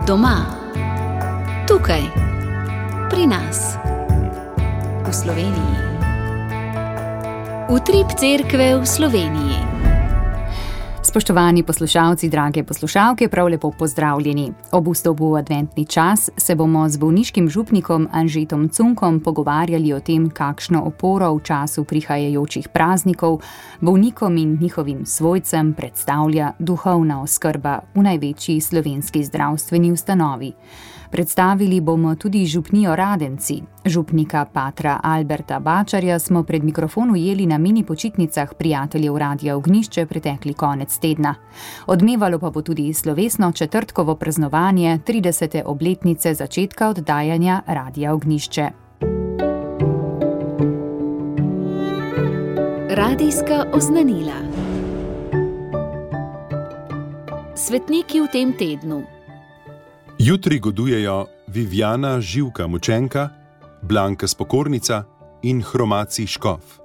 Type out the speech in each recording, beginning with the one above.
Doma, tukaj, pri nas, v Sloveniji. Utrip cerkve v Sloveniji. Spoštovani poslušalci, drage poslušalke, prav lepo pozdravljeni. Ob vstopu v adventni čas se bomo z bolniškim župnikom Anžetom Cunkom pogovarjali o tem, kakšno oporo v času prihajajočih praznikov bolnikom in njihovim svojcem predstavlja duhovna oskrba v največji slovenski zdravstveni ustanovi. Predstavili bomo tudi župnijo Radenci. Župnika patra Alberta Bačarja smo pred mikrofon ujeli na mini počitnicah prijateljev Radia Ognjišče pretekli konec tedna. Odmevalo pa bo tudi slovesno četrtkovo praznovanje 30. obletnice začetka oddajanja Radia Ognjišče. Radijska oznanila. Svetniki v tem tednu. Jutri godujejo Viviana Živka Mučenka, Blanka Spokornica in Hromaci Škof.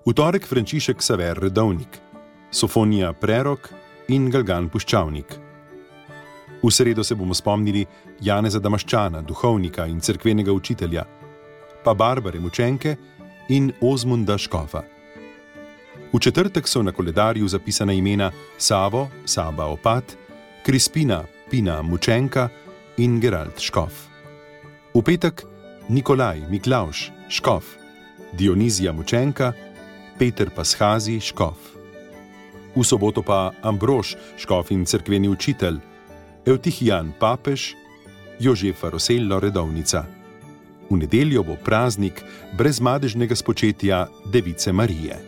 V torek Frančišek Saver Redovnik, Sofonija Prerok in Galgan Puščavnik. V sredo se bomo spomnili Janeza Damaščana, duhovnika in cerkvenega učitelja, pa Barbare Mučenke in Ozmunda Škofa. V četrtek so na koledarju zapisana imena Savo, Saba Opat, Krispina Pina Mučenka in Gerald Škof. V petek Nikolaj Miklavž Škof, Dionizija Mučenka, Peter Pashazi Škof. V soboto pa Ambrož Škof in cerkveni učitelj, Evtihijan Papež, Jožefa Rosello Redovnica. V nedeljo bo praznik brezmadežnega spočetja Device Marije.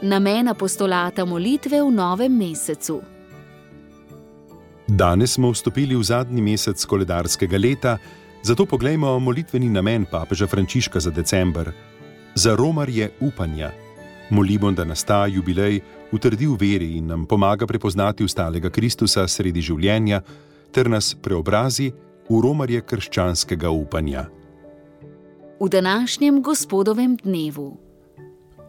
Namen apostolata molitve v novem mesecu. Danes smo vstopili v zadnji mesec koledarskega leta, zato poglejmo molitveni namen papeža Frančiška za december. Za romarje upanja. Molimo, da nas ta jubilej utrdi v veri in nam pomaga prepoznati ustalega Kristusa sredi življenja ter nas preobrazi v romarje krščanskega upanja. V današnjem gospodovem dnevu.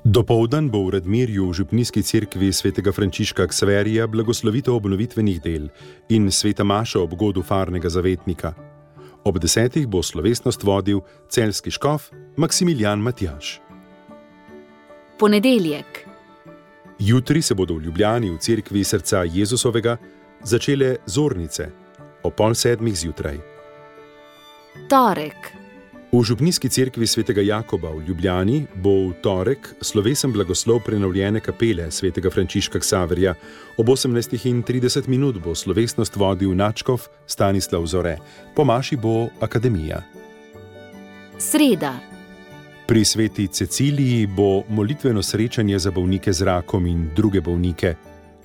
Dopoldan bo v Radmirju v župnijski cerkvi svetega Frančiška Ksaverija blagoslovitev obnovitvenih del in sveta maša ob godu farnega zavetnika. Ob 10. bo slovesnost vodil celjski škof Maksimilijan Matjaž. Ponedeljek. Jutri se bodo v Ljubljani v cerkvi srca Jezusovega začele zornice o 6:30 zjutraj. Torek. V župnijski cerkvi svetega Jakoba v Ljubljani bo v torek slovesen blagoslov prenovljene kapele svetega Frančiška Ksaverja. Ob 18:30 bo slovesnost vodil nadškof Stanislav Zore. Po maši bo akademija. Sreda. Pri sveti Ceciliji bo molitveno srečanje za bolnike z rakom in druge bolnike.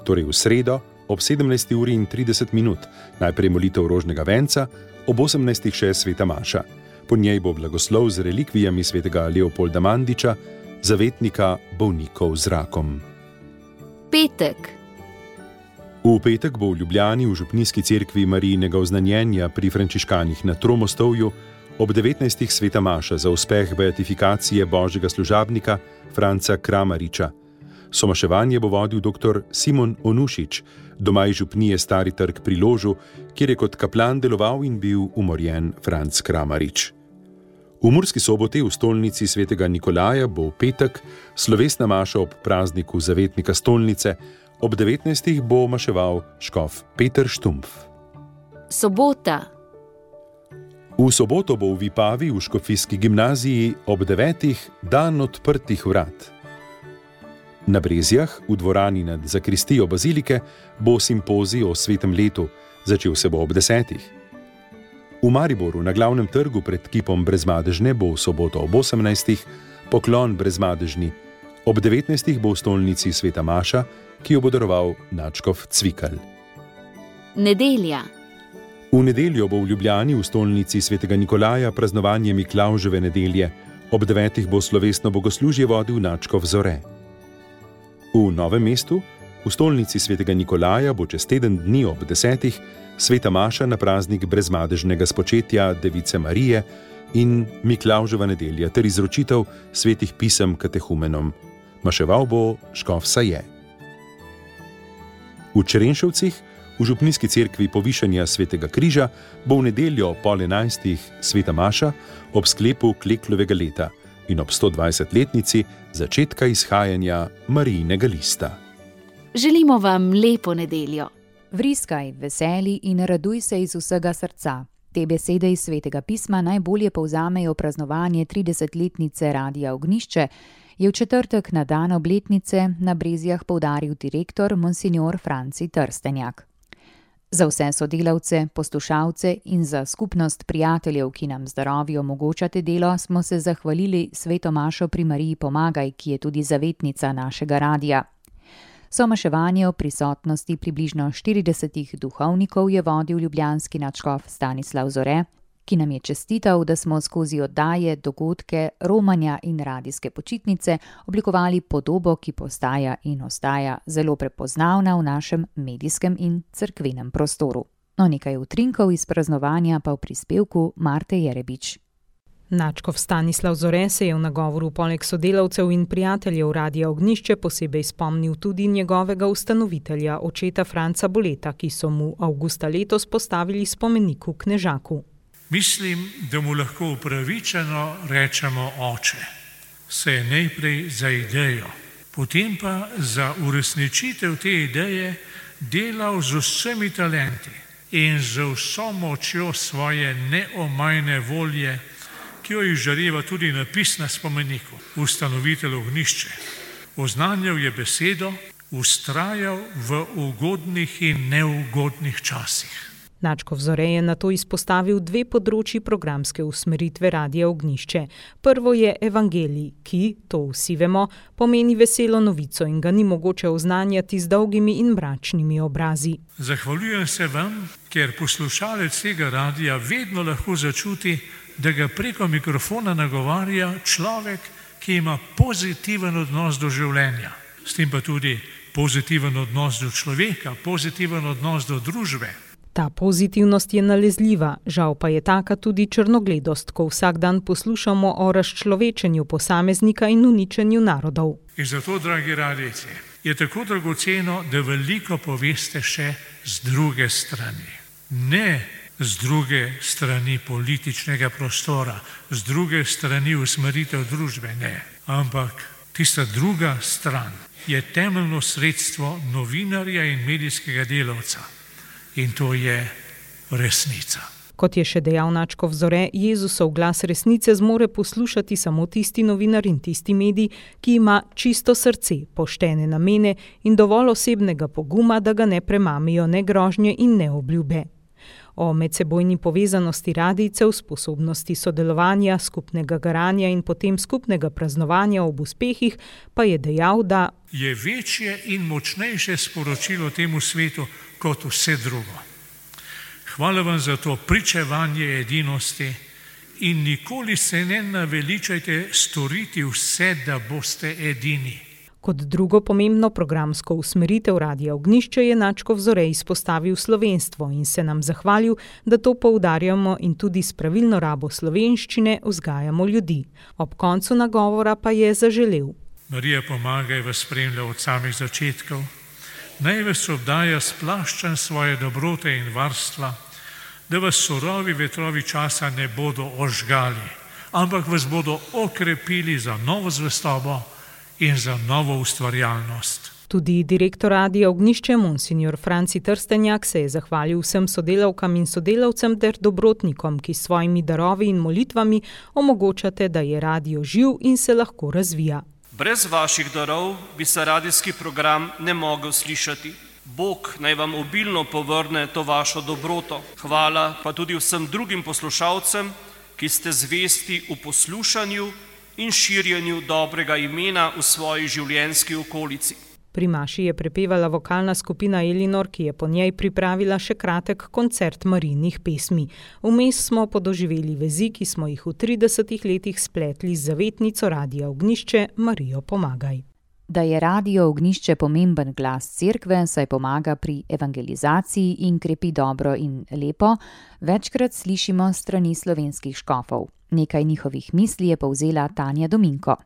Torej v sredo ob 17:30 najprej molitev rožnega venca, ob 18. še sveta maša. Po njej bo blagoslov z relikvijami svetega Leopolda Mandiča, zavetnika bolnikov z rakom. Petek. V petek bo v Ljubljani v župnijski cerkvi Marijinega oznanjenja pri frančiškanih na Tromostovju ob 19. sveta maša za uspeh beatifikacije božjega služabnika Franca Kramariča. Somaševanje bo vodil dr. Simon Onušič, domaj župnije Stari trg pri Ložu, kjer je kot kaplan deloval in bil umorjen Franc Kramarič. V Murski Soboti v stolnici svetega Nikolaja bo v petek slovesna maša ob prazniku zavetnika stolnice, ob 19. bo maševal škof Peter Štumpf. Sobota. V soboto bo v Vipavi v škofijski gimnaziji ob 9. dan odprtih vrat. Na Brezjah, v dvorani nad zakristijo bazilike, bo simpozij o svetem letu, začel se bo ob 10. V Mariboru na glavnem trgu pred kipom Brezmadežne bo v soboto ob 18. poklon Brezmadežni. Ob 19. bo v stolnici sveta maša, ki jo bo daroval nadškof Cvikl. Nedelja. V nedeljo bo v Ljubljani v stolnici svetega Nikolaja praznovanje Miklavževe nedelje. Ob 9. bo slovesno bogoslužje vodil nadškof Zore. V Novem mestu, v stolnici svetega Nikolaja, bo čez teden dni ob 10. sveta maša na praznik brezmadežnega spočetja Device Marije in Miklavževa nedelja ter izročitev svetih pisem katehumenom. Maševal bo škof Saje. V Črenšovcih, V župnijski cerkvi Povišanja svetega križa bo v nedeljo pol 11. sveta maša ob sklepu Kleklovega leta in ob 120-letnici začetka izhajanja Marijinega lista. Želimo vam lepo nedeljo. Vriskaj, veseli in raduj se iz vsega srca. Te besede iz Svetega pisma najbolje povzamejo praznovanje 30-letnice Radia Ognjišče, je v četrtek na dan obletnice na Brezjah poudaril direktor monsignor Franci Trstenjak. Za vse sodelavce, poslušalce in za skupnost prijateljev, ki nam zdravju omogočate delo, smo se zahvalili Sveto mašo pri Mariji Pomagaj, ki je tudi zavetnica našega radija. Somaševanje o prisotnosti približno 40 duhovnikov je vodil ljubljanski nadškof Stanislav Zore, ki nam je čestital, da smo skozi oddaje, dogodke, romanja in radijske počitnice oblikovali podobo, ki postaja in ostaja zelo prepoznavna v našem medijskem in cerkvenem prostoru. No, nekaj utrinkov iz praznovanja pa v prispevku Marte Jerebič. Nadškof Stanislav Zore se je v nagovoru poleg sodelavcev in prijateljev Radia Ognjišče posebej spomnil tudi njegovega ustanovitelja, očeta Franca Boleta, ki so mu avgusta letos postavili spomenik v Knežaku. Mislim, da mu lahko upravičeno rečemo oče. Se je najprej za idejo, potem pa za uresničitev te ideje delal z vsemi talenti in z vso močjo svoje neomajne volje, ki jo izžareva tudi napis na spomeniku, ustanovitelj Ognjišče. Oznanjal je besedo, vztrajal v ugodnih in neugodnih časih. Nadškof Zore je nato izpostavil dve področji programske usmeritve Radia Ognjišče. Prvo je evangelij, ki, to vsi vemo, pomeni veselo novico in ga ni mogoče oznanjati z dolgimi in mračnimi obrazi. Zahvaljujem se vam, ker poslušalec tega radija vedno lahko začuti, da ga preko mikrofona nagovarja človek, ki ima pozitiven odnos do življenja. S tem pa tudi pozitiven odnos do človeka, pozitiven odnos do družbe. Ta pozitivnost je nalezljiva, žal pa je taka tudi črnogledost, ko vsak dan poslušamo o razčlovečenju posameznika in uničenju narodov. In zato, dragi radijci, je tako dragoceno, da veliko poveste še z druge strani. Ne z druge strani političnega prostora, z druge strani usmeritev družbe, ne. Ampak tista druga stran je temeljno sredstvo novinarja in medijskega delavca. In to je resnica. Kot je še dejal nadškof Zore, Jezusov glas resnice zmore poslušati samo tisti novinar in tisti medij, ki ima čisto srce, poštene namene in dovolj osebnega poguma, da ga ne premamijo ne grožnje in ne obljube. O medsebojni povezanosti radijcev, sposobnosti sodelovanja, skupnega garanja in potem skupnega praznovanja ob uspehih pa je dejal, da je večje in močnejše sporočilo temu svetu kot vse drugo. Hvala vam za to pričevanje edinosti in nikoli se ne naveličajte storiti vse, da boste edini. Kot drugo pomembno programsko usmeritev Radia Ognjišče je nadškof Zore izpostavil slovenstvo in se nam zahvalil, da to poudarjamo in tudi s pravilno rabo slovenščine vzgajamo ljudi. Ob koncu nagovora pa je zaželel: Marija Pomagaj vas spremlja od samih začetkov, naj vas obdaja s plaščem svoje dobrote in varstva, da vas surovi vetrovi časa ne bodo ožgali, ampak vas bodo okrepili za novo zvestobo in za novo ustvarjalnost. Tudi direktor Radia Ognjišče, monsignor Franci Trstenjak, se je zahvalil vsem sodelavkam in sodelavcem ter dobrotnikom, ki s svojimi darovi in molitvami omogočate, da je radio živ in se lahko razvija. Brez vaših darov bi se radijski program ne mogel slišati. Bog naj vam obilno povrne to vašo dobroto. Hvala pa tudi vsem drugim poslušalcem, ki ste zvesti v poslušanju in širjenju dobrega imena v svoji življenjski okolici. Pri maši je prepevala vokalna skupina Elinor, ki je po njej pripravila še kratek koncert Marijnih pesmi. Vmes smo podoživeli vezi, ki smo jih v 30 letih spletli z zavetnico Radia Ognjišče Marijo Pomagaj. Da je Radio Ognjišče pomemben glas cerkve, saj pomaga pri evangelizaciji in krepi dobro in lepo, večkrat slišimo strani slovenskih škofov. Nekaj njihovih misli je povzela Tanja Dominko.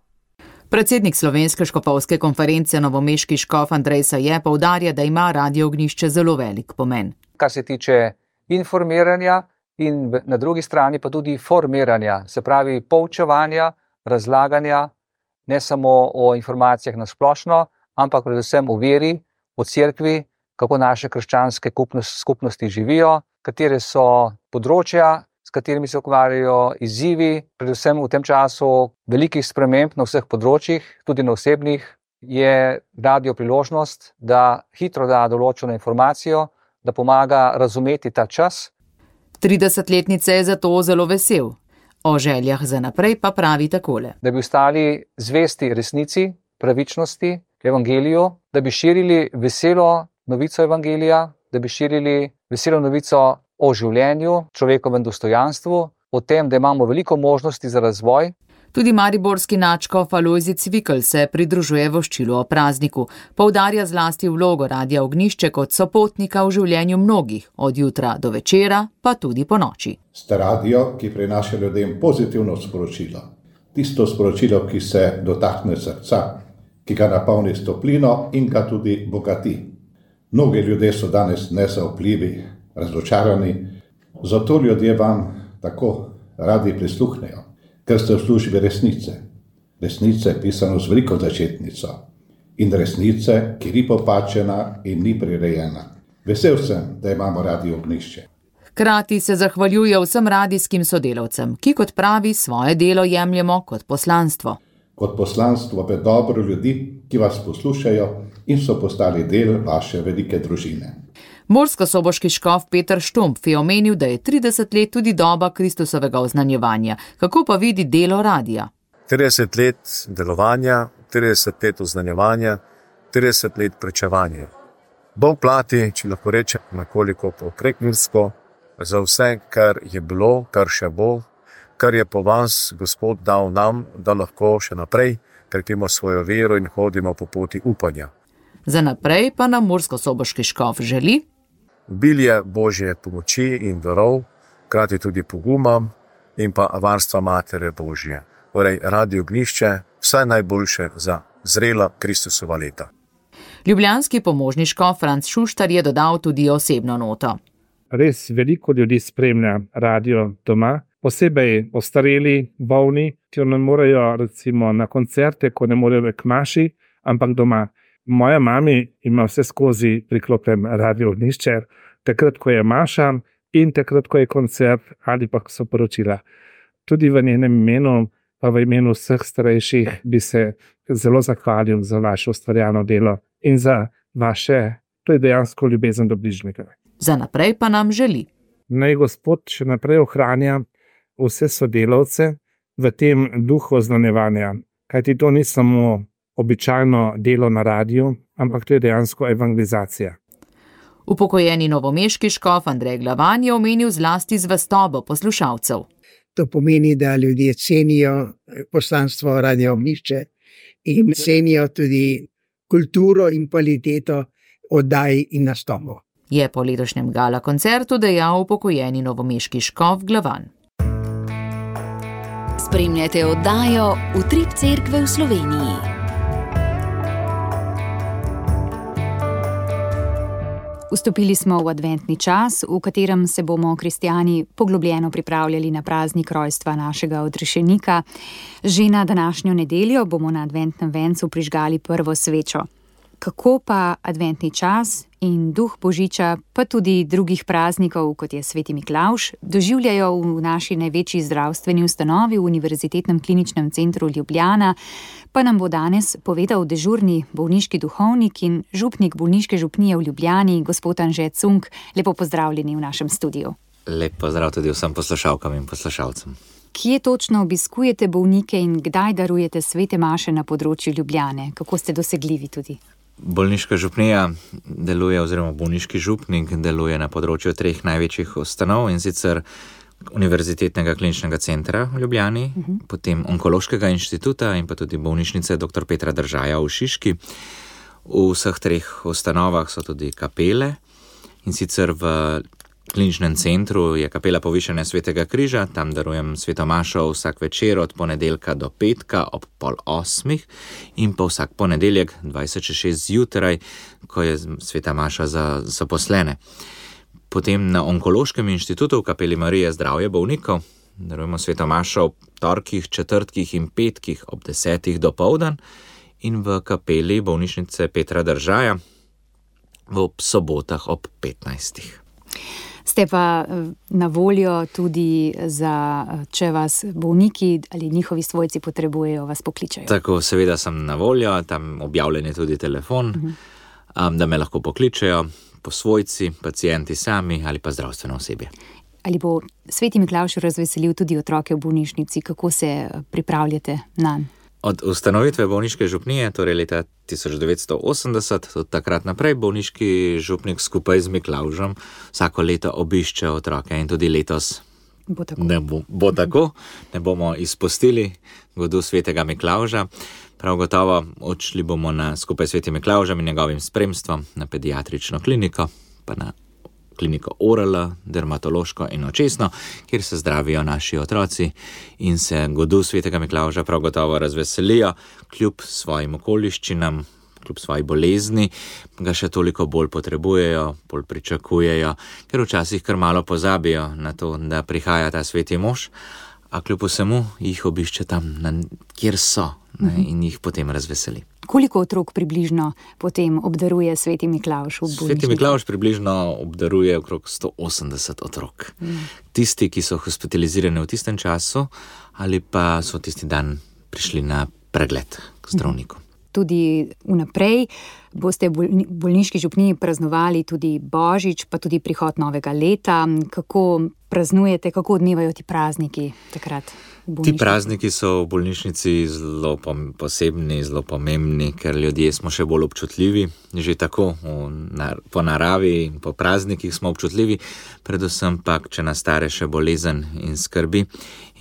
Predsednik Slovenske škofovske konference novomeški škof Andrej Saje poudarja, da ima Radio Ognjišče zelo velik pomen. Kar se tiče informiranja in na drugi strani pa tudi formiranja, se pravi poučevanja, razlaganja, ne samo o informacijah na splošno, ampak predvsem o veri, o cerkvi, kako naše krščanske skupnosti živijo, katere so področja, s katerimi se ukvarjajo, izzivi, predvsem v tem času velikih sprememb na vseh področjih, tudi na osebnih, je radio priložnost, da hitro da določeno informacijo, da pomaga razumeti ta čas. 30-letnice je zato zelo vesel. O željah za naprej pa pravi takole. Da bi ostali zvesti resnici, pravičnosti, evangeliju, da bi širili veselo novico evangelija, da bi širili veselo novico o življenju, človekovem dostojanstvu, o tem, da imamo veliko možnosti za razvoj. Tudi mariborski nadškof Alojzij Cvikl se pridružuje voščilu o prazniku. Poudarja zlasti vlogo Radia Ognjišče kot sopotnika v življenju mnogih, od jutra do večera, pa tudi po noči. Ste radio, ki prinaša ljudem pozitivno sporočilo. Tisto sporočilo, ki se dotakne srca, ki ga napolni s toplino in ga tudi bogati. Mnogi ljudje so danes nezaupljivi, razočarani, zato ljudje vam tako radi prisluhnejo, ker ste v službi resnice. Resnice pisano z veliko začetnico in resnice, ki ni popačena in ni prirejena. Vesel sem, da imamo Radio Ognjišče. Hkrati se zahvaljuje vsem radijskim sodelavcem, ki kot pravi svoje delo jemljemo kot poslanstvo. Kot poslanstvo v dobro ljudi, ki vas poslušajo in so postali del vaše velike družine. Murskosoboški škof Peter Štumpf je omenil, da je 30 let tudi doba Kristusovega oznanjevanja. Kako pa vidi delo radia? 30 let delovanja, 30 let oznanjevanja, 30 let pričevanja. Bog plati, če lahko rečem nekoliko prekmursko, za vse, kar je bilo, kar še bo, kar je po vas Gospod dal nam, da lahko še naprej krepimo svojo vero in hodimo po poti upanja. Za naprej pa nam murskosoboški škof želi obilje Božje pomoči in darov, krati tudi poguma in pa varstva Matere Božje. Torej, Radio Ognjišče, vse najboljše za zrela Kristusova leta. Ljubljanski pomožni škof Franc Šuštar je dodal tudi osebno noto. Res veliko ljudi spremlja radio doma, posebej ostareli, bolni, ki ne morejo recimo na koncerte, ko ne morejo k maši, ampak doma. Moja mami ima vse skozi priklopljen Radio Ognjišče, takrat, ko je maša in takrat, ko je koncert ali pa so poročila. Tudi v njenem imenu, pa v imenu vseh starejših bi se zelo zahvalil za vaše ustvarjano delo in za vaše, to je dejansko ljubezen do bližnjega. Za naprej pa nam želi. Naj Gospod še naprej ohranja vse sodelavce v tem duhu oznanjevanja, kajti to ni samo običajno delo na radiju, ampak to je dejansko evangelizacija. Upokojeni novomeški škof Andrej Glavan je omenil zlasti zvestobo poslušalcev. To pomeni, da ljudje cenijo poslanstvo Radio Ognjišče in cenijo tudi kulturo in kvaliteto oddaj in nastopov. Je po letošnjem gala koncertu dejal upokojeni novomeški škof Glavan. Spremljate oddajo Utrip cerkve v Sloveniji. Vstopili smo v adventni čas, v katerem se bomo kristjani poglobljeno pripravljali na praznik rojstva našega odrešenika. Že na današnjo nedeljo bomo na adventnem vencu prižgali prvo svečo. Kako pa adventni čas in duh Božiča, pa tudi drugih praznikov, kot je Sveti Miklavž, doživljajo v naši največji zdravstveni ustanovi, v Univerzitetnem kliničnem centru Ljubljana, pa nam bo danes povedal dežurni bolniški duhovnik in župnik bolniške župnije v Ljubljani, gospod Anže Cunk. Lepo pozdravljeni v našem studiu. Lep pozdrav tudi vsem poslušalkam in poslušalcem. Kje točno obiskujete bolnike in kdaj darujete svete maše na področju Ljubljane? Kako ste dosegljivi tudi? Bolniška župnija deluje, oziroma bolniški župnik deluje na področju 3 največjih ustanov, in sicer Univerzitetnega kliničnega centra v Ljubljani, potem Onkološkega inštituta in pa tudi bolnišnice dr. Petra Držaja v Šiški. V vseh 3 ustanovah so tudi kapele, in sicer v kliničnem centru je kapela Povišanja Svetega križa, tam darujem sveto mašo vsak večer od ponedeljka do petka ob 7:30 in pa vsak ponedeljek 20:06 zjutraj, ko je sveta maša za zaposlene. Potem na Onkološkem inštitutu v kapeli Marije zdravje bolnikov darujemo sveto mašo ob torkih, četrtkih in petkih ob 10:00 dopoldan in v kapeli bolnišnice Petra Držaja ob sobotah ob 15:00. Ste pa na voljo tudi za, če vas bolniki ali njihovi svojci potrebujejo, vas pokličajo. Tako, seveda sem na voljo, tam objavljen je tudi telefon, da me lahko pokličajo po svojci, pacienti sami ali pa zdravstveno osebje. Ali bo sveti Miklavž razveselil tudi otroke v bolnišnici, kako se pripravljate nanj? Od ustanovitve bolniške župnije, torej leta 1980, od takrat naprej bolniški župnik skupaj z Miklavžem vsako leto obišče otroke in tudi letos bo tako. Bo tako, ne bomo izpustili godu svetega Miklavža. Prav gotovo odšli bomo skupaj s svetim Miklavžem in njegovim spremstvom na pediatrično kliniko, pa na kliniko ORL, dermatološko in očesno, kjer se zdravijo naši otroci in se godu svetega Miklavža prav gotovo razveselijo, kljub svojim okoliščinam, kljub svoji bolezni, ga še toliko bolj potrebujejo, bolj pričakujejo, ker včasih kar malo pozabijo na to, da prihaja ta sveti mož, a kljub vsemu jih obišče tam, kjer so, in jih potem razveseli. Koliko otrok približno potem obdaruje sveti Miklavž v bolnišnici? Sveti Miklavž približno obdaruje okrog 180 otrok. Tisti, ki so hospitalizirani v tistem času ali pa so tisti dan prišli na pregled k zdravniku. Tudi vnaprej boste v bolniški župniji praznovali tudi Božič, pa tudi prihod novega leta. Kako praznujete, kako odmevajo ti prazniki takrat? Ti prazniki so v bolnišnici zelo posebni, zelo pomembni, ker ljudje smo še bolj občutljivi, že tako po naravi in po praznikih smo občutljivi, predvsem pa, če nas stare še bolezen in skrbi.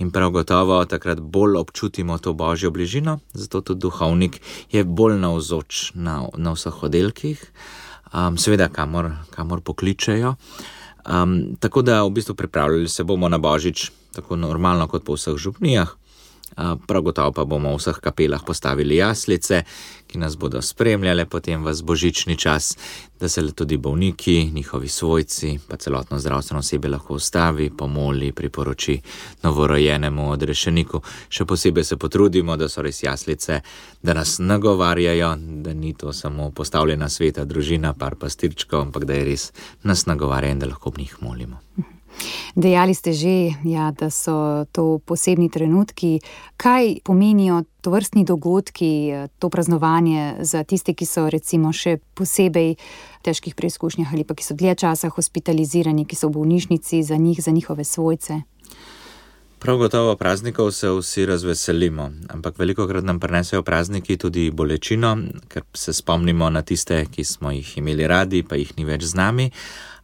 In prav gotovo takrat bolj občutimo to božjo bližino, zato tudi duhovnik je bolj navzoč na vseh oddelkih, seveda kamor pokličejo. Tako da v bistvu pripravljali se bomo na Božič tako normalno kot po vseh župnijah. Prav gotovo pa bomo v vseh kapelah postavili jaslice, ki nas bodo spremljale potem v božični čas, da se tudi bolniki, njihovi svojci, pa celotno zdravstveno osebje lahko ustavi, pomoli, priporoči novorojenemu odrešeniku. Še posebej se potrudimo, da so res jaslice, da nas nagovarjajo, da ni to samo postavljena sveta družina, par pastirčkov, ampak da je res nas nagovarja in da lahko ob njih molimo. Dejali ste že, da so to posebni trenutki. Kaj pomenijo tovrstni dogodki, to praznovanje za tiste, ki so recimo še posebej v težkih preizkušnjah ali pa ki so dlje časa hospitalizirani, ki so v bolnišnici, za njih, za njihove svojce? Prav gotovo praznikov se vsi razveselimo, ampak velikokrat nam prinesejo prazniki tudi bolečino, ker se spomnimo na tiste, ki smo jih imeli radi, pa jih ni več z nami,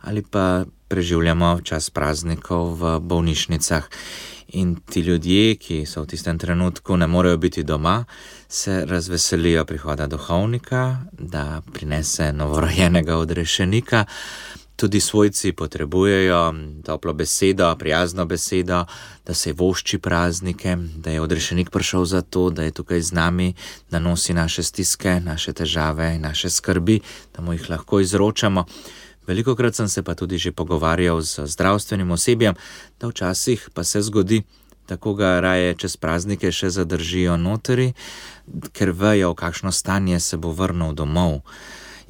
ali pa preživljamo čas praznikov v bolnišnicah. In ti ljudje, ki so v tistem trenutku ne morejo biti doma, se razveselijo prihoda duhovnika, da prinese novorojenega odrešenika. Tudi svojci potrebujejo toplo besedo, prijazno besedo, da se vošči praznike, da je odrešenik prišel za to, da je tukaj z nami, da nosi naše stiske, naše težave, naše skrbi, da mu jih lahko izročamo. Velikokrat sem se pa tudi že pogovarjal z zdravstvenim osebjem, da včasih pa se zgodi, da koga raje čez praznike še zadržijo notri, ker vejo, v kakšno stanje se bo vrnil domov.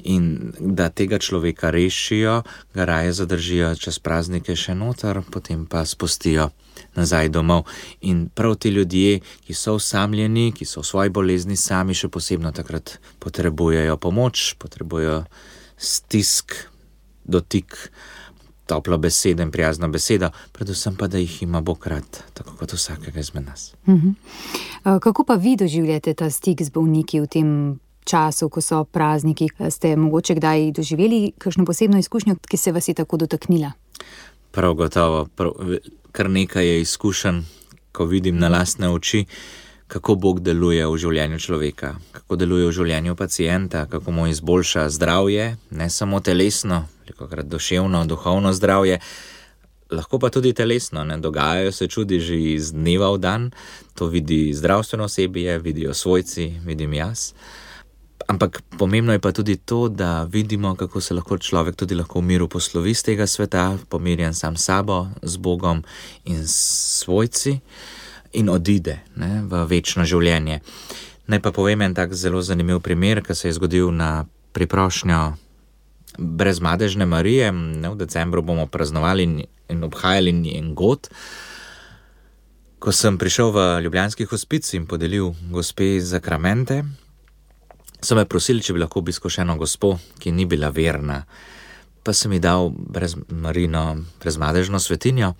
In da tega človeka rešijo, ga raje zadržijo čez praznike še noter, potem pa spustijo nazaj domov. In prav ti ljudje, ki so osamljeni, ki so v svoji bolezni sami, še posebno takrat potrebujejo pomoč, potrebujejo stisk, dotik, toplo besedo in prijazno besedo, predvsem pa, da jih ima Bog rad, tako kot vsakega izmed nas. Kako pa vi doživljate ta stik z bolniki v tem času, ko so prazniki? Ste mogoče kdaj doživeli kakšno posebno izkušnjo, ki se vas je tako dotaknila? Prav gotovo, kar nekaj je izkušenj, ko vidim na lastne oči, kako Bog deluje v življenju človeka, kako deluje v življenju pacienta, kako mu izboljša zdravje, ne samo telesno, velikokrat duševno, duhovno zdravje, lahko pa tudi telesno, ne, dogajajo se čudi že iz dneva v dan, to vidi zdravstveno osebje, vidijo svojci, vidim jaz. Ampak pomembno je pa tudi to, da vidimo, kako se lahko človek tudi lahko v miru poslovi z tega sveta, pomirjen sam s sabo, z Bogom in s svojci in odide, ne, v večno življenje. Naj pa povem en tak zelo zanimiv primer, ki se je zgodil na priprošnjo Brezmadežne Marije. Ne, v decembru bomo praznovali in obhajali njen god. Ko sem prišel v ljubljanski hospic in podelil gospe zakramente, so me prosili, če bi lahko obiskal še eno gospo, ki ni bila verna. Pa sem ji dal Brezmadežno svetinjo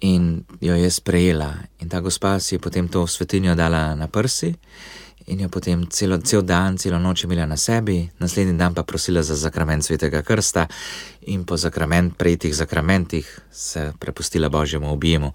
in jo je sprejela. In ta gospa si je potem to svetinjo dala na prsi in jo potem cel dan, celo noč imela na sebi, naslednji dan pa prosila za zakrament Svetega krsta in po prejetih zakramentih se prepustila Božjemu objemu.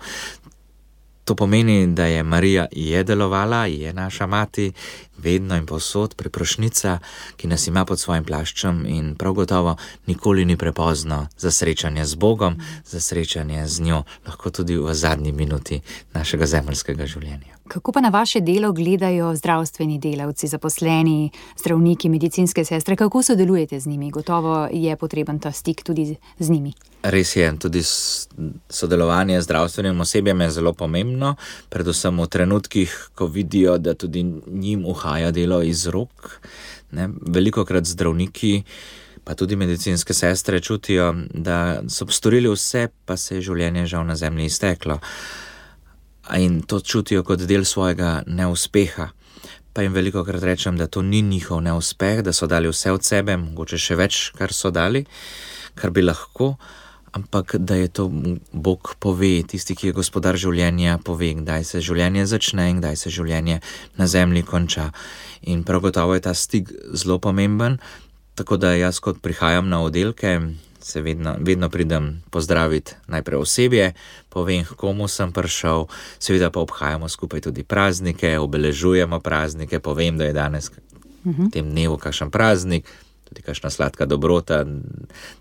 To pomeni, da je Marija delovala, je naša mati, vedno in povsod priprošnica, ki nas ima pod svojim plaščem in prav gotovo nikoli ni prepozno za srečanje z Bogom, za srečanje z njo, lahko tudi v zadnji minuti našega zemeljskega življenja. Kako pa na vaše delo gledajo zdravstveni delavci, zaposleni, zdravniki, medicinske sestre? Kako sodelujete z njimi? Gotovo je potreben ta stik tudi z njimi. Res je, tudi sodelovanje z zdravstvenim osebjem je zelo pomembno, predvsem v trenutkih, ko vidijo, da tudi njim uhaja delo iz rok. Ne? Velikokrat zdravniki, pa tudi medicinske sestre čutijo, da so storili vse, pa se je življenje žal na zemlji izteklo. In to čutijo kot del svojega neuspeha. Pa jim velikokrat rečem, da to ni njihov neuspeh, da so dali vse od sebe, mogoče še več, kar so dali, kar bi lahko, ampak da je to Bog pove, tisti, ki je gospodar življenja, pove, kdaj se življenje začne in kdaj se življenje na zemlji konča. In prav gotovo je ta stik zelo pomemben, tako da jaz, kot prihajam na oddelke, se vedno pridem pozdraviti najprej osebje, povem, komu sem prišel, seveda pa obhajamo skupaj tudi praznike, obeležujemo praznike, povem, da je danes v tem dnevu kakšen praznik, tudi kakšna sladka dobrota,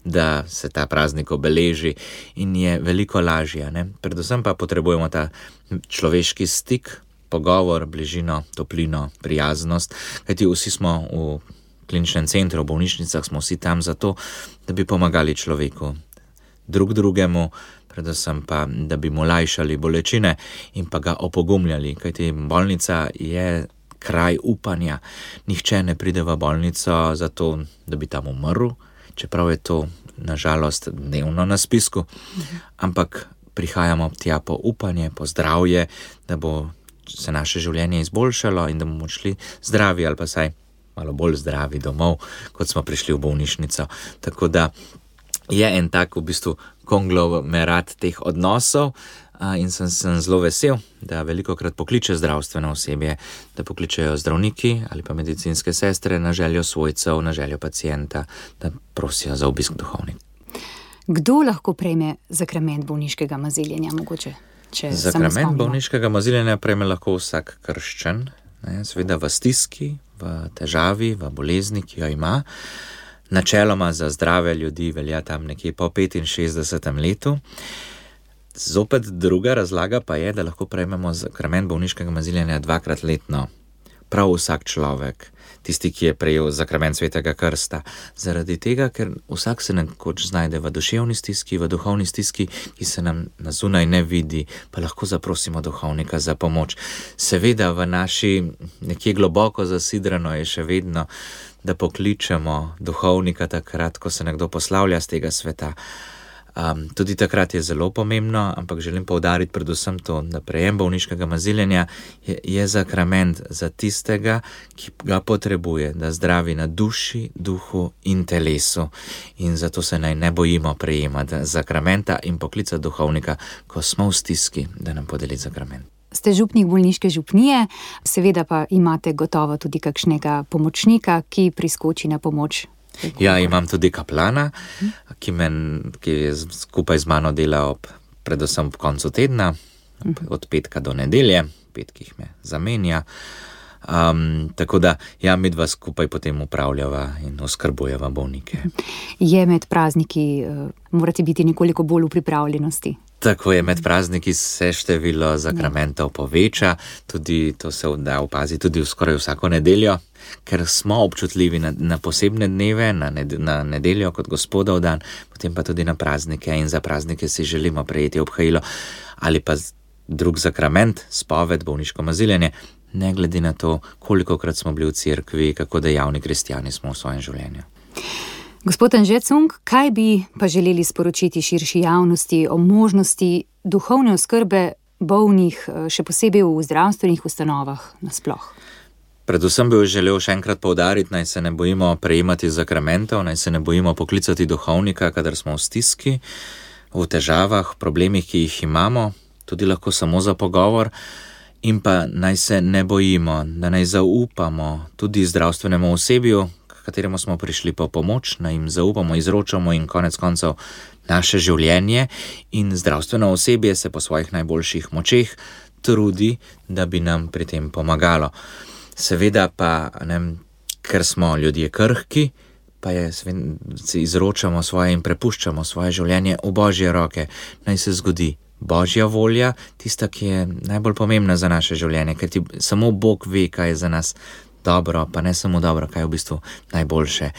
da se ta praznik obeleži in je veliko lažje. Ne? Predvsem pa potrebujemo ta človeški stik, pogovor, bližino, toplino, prijaznost, kajti vsi smo v kliničnem centru, v bolnišnicah smo vsi tam zato, da bi pomagali človeku, drugemu, predvsem pa, da bi mu lajšali bolečine in pa ga opogumljali, kajti bolnica je kraj upanja. Nihče ne pride v bolnico zato, da bi tam umrl, čeprav je to nažalost dnevno na spisku, ampak prihajamo tja po upanje, po zdravje, da bo se naše življenje izboljšalo in da bomo šli zdravi ali pa saj malo bolj zdravi domov, kot smo prišli v bolnišnico. Tako da je en tak v bistvu konglomerat teh odnosov in sem zelo vesel, da velikokrat pokliče zdravstveno osebje, da pokličejo zdravniki ali pa medicinske sestre na željo svojcev, na željo pacienta, da prosijo za obisk duhovnika. Kdo lahko prejme zakrament bolniškega maziljenja, mogoče? Zakrament bolniškega maziljenja prejme lahko vsak krščen, seveda v stiski, v težavi, v bolezni, ki jo ima. Načeloma za zdrave ljudi velja tam nekje po 65. letu. Zopet druga razlaga pa je, da lahko prejmemo zakrament bolniškega maziljenja 2-krat letno. Prav vsak človek, tisti, ki je prejel zakrament Svetega krsta. Zaradi tega, ker vsak se nekoč znajde v duševni stiski, v duhovni stiski, ki se nam na zunaj ne vidi, pa lahko zaprosimo duhovnika za pomoč. Seveda v naši nekje globoko zasidrano je še vedno, da pokličemo duhovnika takrat, ko se nekdo poslavlja z tega sveta. Tudi takrat je zelo pomembno, ampak želim poudariti predvsem to, da prejem bolniškega maziljenja je zakrament za tistega, ki ga potrebuje, da zdravi na duši, duhu in telesu. In zato se naj ne bojimo prejemati zakramenta in poklicati duhovnika, ko smo v stiski, da nam podeli zakrament. Ste župnik bolniške župnije, seveda pa imate gotovo tudi kakšnega pomočnika, ki priskoči na pomoč. Ja, imam tudi kaplana, ki je skupaj z mano dela predvsem ob koncu tedna, od petka do nedelje, petkih me zamenja. Tako da, ja, mi dva skupaj potem upravljava in oskrbujeva bolnike. Je med prazniki, morate biti nekoliko bolj v pripravljenosti? Tako je, med prazniki se število zakramentov poveča, tudi to se da opaziti tudi skoraj vsako nedeljo, ker smo občutljivi na posebne dneve, na nedeljo kot Gospodov dan, potem pa tudi na praznike in za praznike si želimo prejeti obhajilo ali pa drug zakrament, spoved, bolniško maziljenje, ne glede na to, kolikokrat smo bili v cerkvi, kako dejavni kristjani smo v svojem življenju. Gospod Anže Cunk, kaj bi pa želeli sporočiti širši javnosti o možnosti duhovne oskrbe bolnih, še posebej v zdravstvenih ustanovah nasploh? Predvsem bi želel še enkrat poudariti, naj se ne bojimo prejemati zakramentov, naj se ne bojimo poklicati duhovnika, kadar smo v stiski, v težavah, problemih, ki jih imamo, tudi lahko samo za pogovor, in pa naj se ne bojimo, da naj zaupamo tudi zdravstvenemu osebju, kateremu smo prišli po pomoč, naj jim zaupamo, izročamo in konec koncev naše življenje in zdravstveno osebje se po svojih najboljših močeh trudi, da bi nam pri tem pomagalo. Seveda pa, ker smo ljudje krhki, pa si izročamo svoje in prepuščamo svoje življenje v Božje roke, naj se zgodi Božja volja, tista, ki je najbolj pomembna za naše življenje, ker samo Bog ve, kaj je za nas dobro, pa ne samo dobro, kaj je v bistvu najboljše.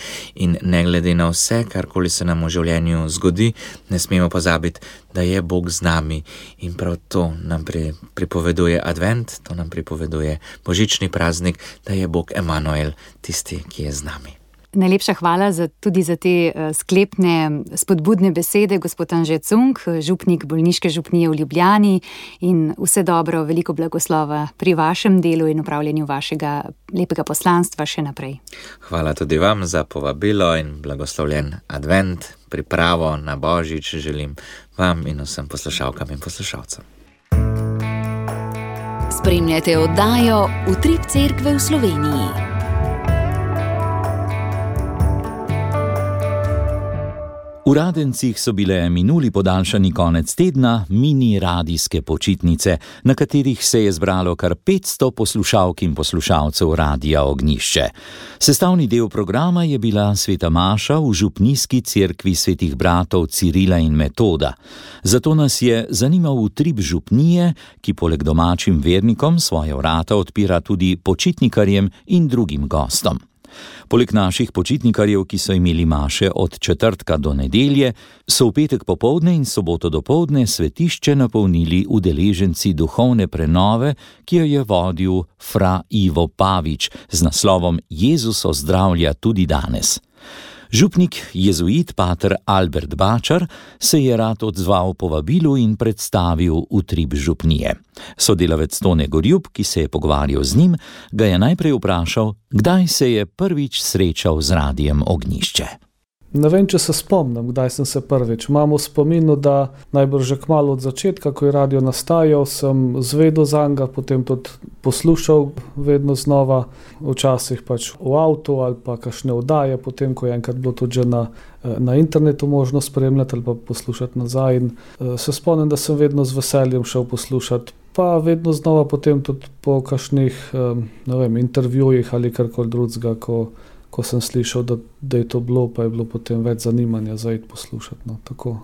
In ne glede na vse, karkoli se nam v življenju zgodi, ne smemo pozabiti, da je Bog z nami in prav to nam pripoveduje advent, to nam pripoveduje božični praznik, da je Bog Emanuel tisti, ki je z nami. Najlepša hvala tudi za te sklepne, spodbudne besede, gospod Anže Cunk, župnik bolniške župnije v Ljubljani, in vse dobro, veliko blagoslova pri vašem delu in upravljanju vašega lepega poslanstva še naprej. Hvala tudi vam za povabilo in blagoslovljen advent, pripravo na Božič želim vam in vsem poslušalkam in poslušalcem. Spremljate oddajo Utrip cerkve v Sloveniji. V Radencih so bile minuli podaljšani konec tedna mini radijske počitnice, na katerih se je zbralo kar 500 poslušalk in poslušalcev Radia Ognjišče. Sestavni del programa je bila sveta maša v župnijski cerkvi svetih bratov Cirila in Metoda. Zato nas je zanimal utrip župnije, ki poleg domačim vernikom svoje vrata odpira tudi počitnikarjem in drugim gostom. Poleg naših počitnikarjev, ki so imeli maše od četrtka do nedelje, so v petek popoldne in soboto dopoldne svetišče napolnili udeleženci duhovne prenove, ki jo je vodil fra Ivo Pavič z naslovom Jezus ozdravlja tudi danes. Župnik jezuit pater Albert Bačar se je rad odzval povabilu in predstavil utrip župnije. Sodelavec Tone Gorjub, ki se je pogovarjal z njim, ga je najprej vprašal, kdaj se je prvič srečal z Radiem Ognjišče. Ne vem, če se spomnim, kdaj sem se prvič. Imam v spominu, da najbrž že kmalu od začetka, ko je radio nastajal, sem zvedel zanj, potem tudi poslušal vedno znova, včasih pač v avtu ali pa kakšne oddaje, potem ko je enkrat bilo tudi že na internetu možno spremljati ali pa poslušati nazaj. In se spomnim, da sem vedno z veseljem šel poslušati, pa vedno znova potem tudi po kakšnih intervjujih ali karkoli drugega, ko sem slišal, da je to bilo, pa je bilo potem več zanimanja za iti poslušati. No, tako.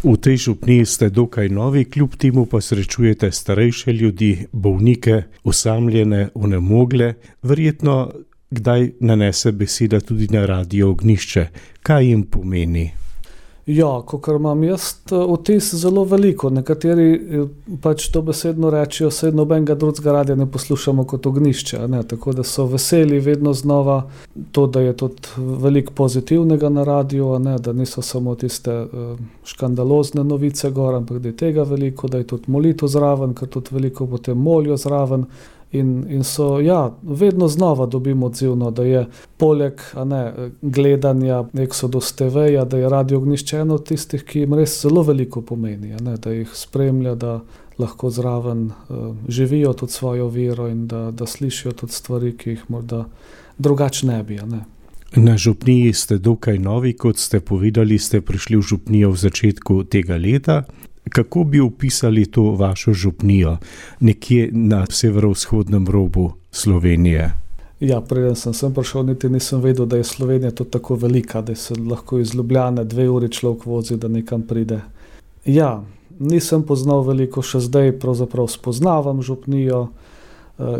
V tej župniji ste dokaj novi, kljub temu pa srečujete starejše ljudi, bolnike, osamljene, onemogle. Verjetno kdaj nanese beseda tudi na Radio Ognjišče. Kaj jim pomeni? Ja, kakor imam jaz vtis zelo veliko. Nekateri pač to besedno rečijo, saj nobenega drugega radia ne poslušamo kot Ognjišče, ne? Tako da so veseli vedno znova to, da je tudi veliko pozitivnega na radiju, ne? Da niso samo tiste škandalozne novice gor, ampak da je tega veliko, da je tudi molitev zraven, ker tudi veliko potem molijo zraven. In so, ja, vedno znova dobimo odzivno, da je poleg gledanja Exodus TV-ja, da je Radio Ognjišče eno od tistih, ki jim res zelo veliko pomeni, da jih spremlja, da lahko zraven živijo tudi svojo vero in da slišijo tudi stvari, ki jih morda drugače ne bi. Na župniji ste dokaj novi, kot ste povedali, ste prišli v župnijo v začetku tega leta. Kako bi opisali to vašo župnijo nekje na severovzhodnem robu Slovenije? Ja, preden sem prišel, niti nisem vedel, da je Slovenija tudi tako velika, da se lahko iz Ljubljane 2 uri človek vozi, da nekam pride. Ja, nisem poznal veliko, še zdaj pravzaprav spoznavam župnijo.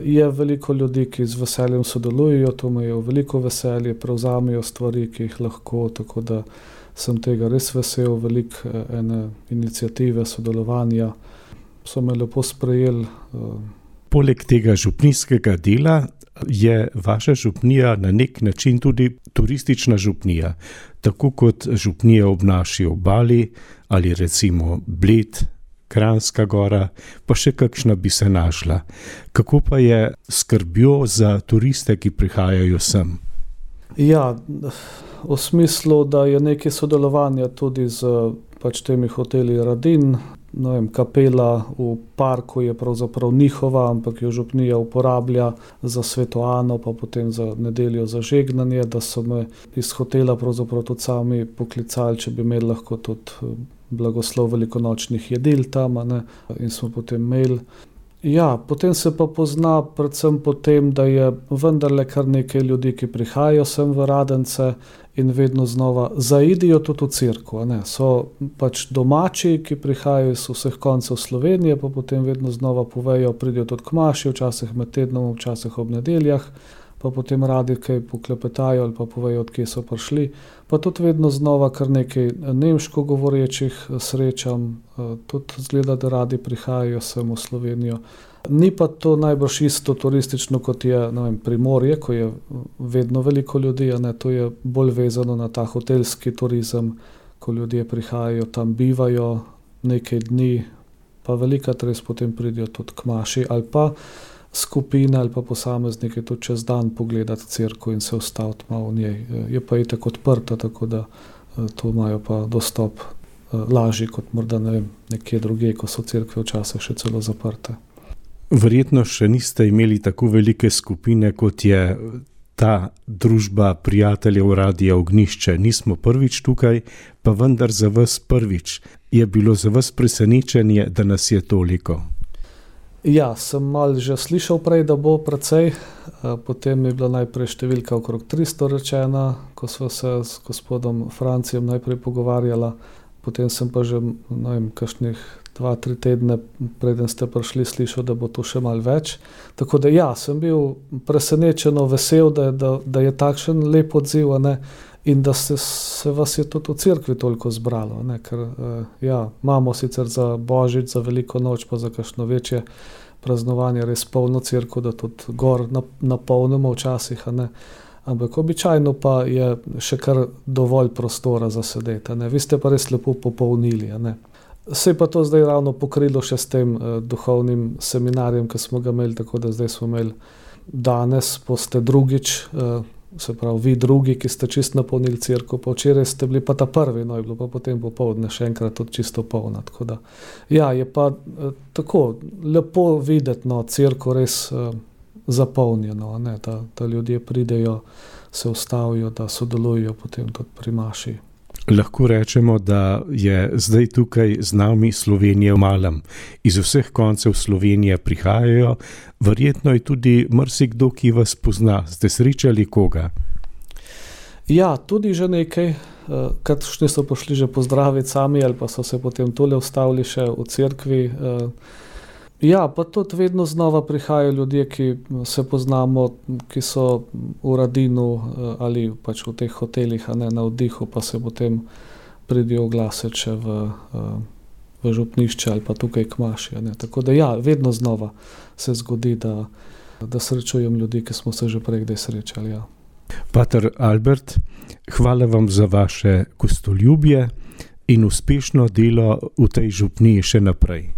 Je veliko ljudi, ki z veseljem sodelujejo, to imajo veliko veselje, prevzamejo stvari, ki jih lahko, tako da sem tega res vesel, veliko ene iniciative, sodelovanja, so me lepo sprejeli. Poleg tega župnijskega dela je vaša župnija na nek način tudi turistična župnija, tako kot župnija ob naši obali ali recimo Bled, Kranjska Gora, pa še kakšna bi se našla. Kako pa je skrbjo za turiste, ki prihajajo sem? Ja, v smislu, da je nekaj sodelovanja tudi z temi hoteli Radin, kapela v parku je pravzaprav njihova, ampak jo župnija uporablja za Svetoano, pa potem za nedeljo za žegnanje, da so me iz hotela pravzaprav tudi sami poklicali, če bi imeli lahko tudi blagoslov velikonočnih jedil tam, in smo potem imeli. Ja, potem se pa pozna predvsem potem, da je vendarle kar nekaj ljudi, ki prihajajo sem v Radence in vedno znova zaidijo tudi v cerkev. So domači, ki prihajajo iz vseh koncev Slovenije, pa potem vedno znova povejo, pridijo tudi k maši, včasih med tednom, včasih ob nedeljah, pa potem radi kaj poklepetajo ali pa povejo, od kje so prišli. Pa tudi vedno znova kar nekaj nemško govorečih srečam, tudi zgleda, da radi prihajajo sem v Slovenijo. Ni pa to najbrž isto turistično, kot je Primorje, ko je vedno veliko ljudi, to je bolj vezano na ta hotelski turizem, ko ljudje prihajajo, tam bivajo nekaj dni, pa velikokrat res potem pridijo tudi k maši ali pa skupine ali pa posamezniki tudi čez dan pogledati cerkev in se ustaviti malo v njej. Je pa itak odprta, tako da to imajo pa dostop lažji kot morda nekje drugje, ko so cerkve včasih še celo zaprte. Verjetno še niste imeli tako velike skupine, kot je ta družba prijateljev Radia Ognjišče. Nismo prvič tukaj, pa vendar za vas prvič. Je bilo za vas presenečenje, da nas je toliko? Ja, sem malo že slišal prej, da bo precej. Potem je bila najprej številka okrog 300 rečena, ko sva se s gospodom Francijem najprej pogovarjala. Potem sem pa že, kakšnih 2-3 tedne, preden ste prišli, slišal, da bo to še malo več. Tako da ja, sem bil presenečeno vesel, da je takšen lep odziv, in da se vas je tudi v cerkvi toliko zbralo, ker imamo sicer za Božič, za Veliko noč, pa za kakšno večje praznovanje res polno cerkev, da tudi gor napolnimo včasih, ampak običajno pa je še kar dovolj prostora za sedeti, Vi ste pa res lepo popolnili, Se je pa to zdaj ravno pokrilo še s tem duhovnim seminarjem, ki smo ga imeli, tako da zdaj smo imeli danes, boste drugič, se pravi vi drugi, ki ste čisto napolnili cerkev, pa včeraj ste bili pa ta prvi, je bilo pa potem popoldne še enkrat tudi čisto polna. Tako da, ja, je pa tako lepo videti, cerkev res zapolnjeno, da ljudje pridejo, se ustavijo, da sodelujo potem tudi pri maši. Lahko rečemo, da je zdaj tukaj z nami Slovenija v malem. Iz vseh koncev Slovenije prihajajo, verjetno je tudi marsikdo, ki vas pozna. Ste srečali koga? Ja, tudi že nekaj. Kakšni so pošli že pozdraviti sami ali pa so se potem tole ustavili še v cerkvi. Ja, pa tudi vedno znova prihajajo ljudje, ki se poznamo, ki so v Radinu ali pač v teh hotelih, na oddihu, pa se potem pridijo oglasiti še v župnišče ali pa tukaj k maši. Tako da ja, vedno znova se zgodi, da srečujem ljudi, ki smo se že prej kdaj srečali. Ja. Pater Albert, hvala vam za vaše gostoljubje in uspešno delo v tej župniji še naprej.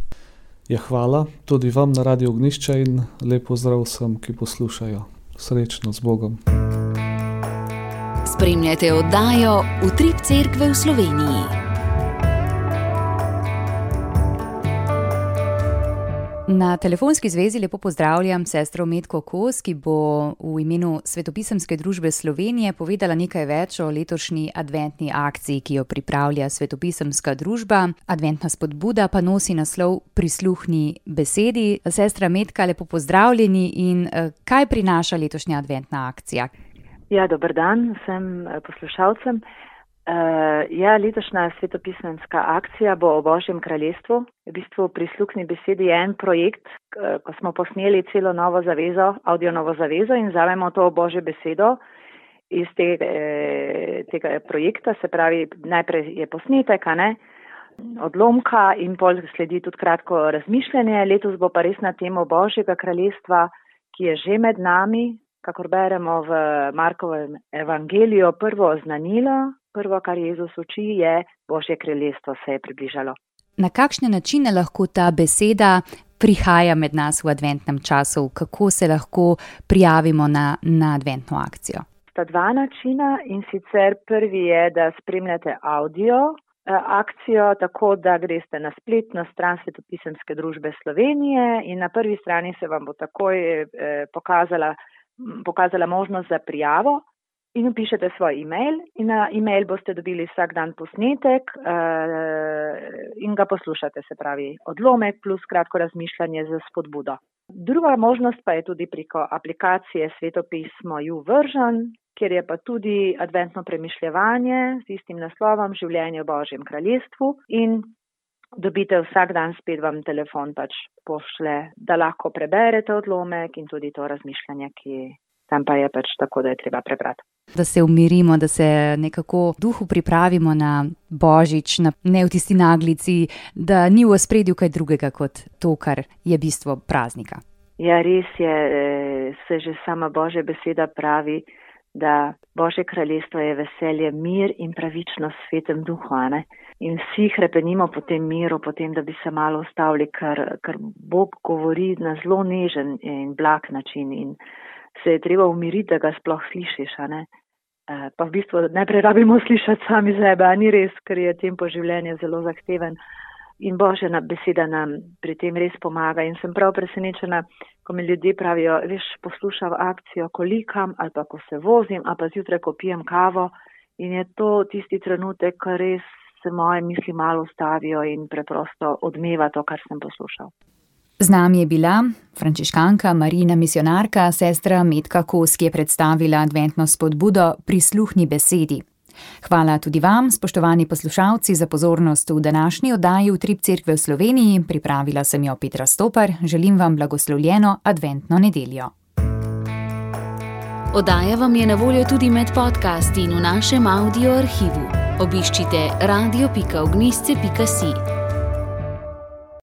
Ja, hvala tudi vam na Radiu Ognjišče in lep pozdrav vsem, ki poslušajo. Srečno, z Bogom. Spremljate oddajo Utrip cerkve v Sloveniji. Na telefonski zvezi lepo pozdravljam sestro Metko Kos, ki bo v imenu Svetopisemske družbe Slovenije povedala nekaj več o letošnji adventni akciji, ki jo pripravlja Svetopisemska družba. Adventna spodbuda pa nosi naslov Prisluhni besedi. Sestra Metka, lepo pozdravljeni in kaj prinaša letošnja adventna akcija? Ja, dober dan vsem poslušalcem. Letošnja svetopisemska akcija bo o Božjem kraljestvu. V bistvu Prisluhni besedi je en projekt, ko smo posneli celo novo zavezo, audio novo zavezo in vzamemo to Božjo besedo iz tega projekta, se pravi, najprej je posnetek, odlomka in pol sledi tudi kratko razmišljanje. Letos bo pa res na temo Božjega kraljestva, ki je že med nami, kakor beremo v Markovem evangeliju, prvo oznanilo. Prvo, kar Jezus uči, je Božje kraljestvo se je približalo. Na kakšne načine lahko ta beseda prihaja med nas v adventnem času? Kako se lahko prijavimo na adventno akcijo? Sta dva načina in sicer prvi je, da spremljate audio akcijo, tako da greste na spletno stran Svetopisemske družbe Slovenije in na prvi strani se vam bo takoj pokazala možnost za prijavo. In vpišete svoj e-mail in na e-mail boste dobili vsak dan posnetek in ga poslušate, se pravi odlomek plus kratko razmišljanje za spodbudo. Druga možnost pa je tudi preko aplikacije Svetopismo YouVersion, kjer je pa tudi adventno premišljevanje z istim naslovom Življenje v Božjem kraljestvu in dobite vsak dan, spet vam telefon pošle, da lahko preberete odlomek in tudi to razmišljanje, ki tam pa je tako, da je treba prebrati. Da se umirimo, da se nekako duhu pripravimo na Božič, ne v tisti naglici, da ni v ospredju kaj drugega kot to, kar je bistvo praznika. Ja, res je, se že sama Božja beseda pravi, da Božje kraljestvo je veselje, mir in pravičnost v Svetem duhu, In vsi hrepenimo po tem miru, po tem, da bi se malo ustavili, ker Bog govori na zelo nežen in blag način in se je treba umiriti, da ga sploh slišiš, Pa v bistvu najprej rabimo slišati sami sebe, ni res, ker je tempo življenja zelo zahteven. In Božja beseda nam pri tem res pomaga. In sem prav presenečena, ko mi ljudje pravijo, poslušam akcijo, ko likam, ali pa ko se vozim, ali pa zjutraj, ko pijem kavo. In je to tisti trenutek, ko res se moje misli malo ustavijo in preprosto odmeva to, kar sem poslušal. Z nami je bila frančiškanka, Marijina misionarka, sestra Metka Kos, ki je predstavila adventno spodbudo Prisluhni besedi. Hvala tudi vam, spoštovani poslušalci, za pozornost v današnji oddaji Utrip Cerkve v Sloveniji. Pripravila sem jo Petra Stopar. Želim vam blagoslovljeno adventno nedeljo. Oddaja vam je na voljo tudi med podcasti in v našem audio arhivu. Obiščite radio.ognisce.si.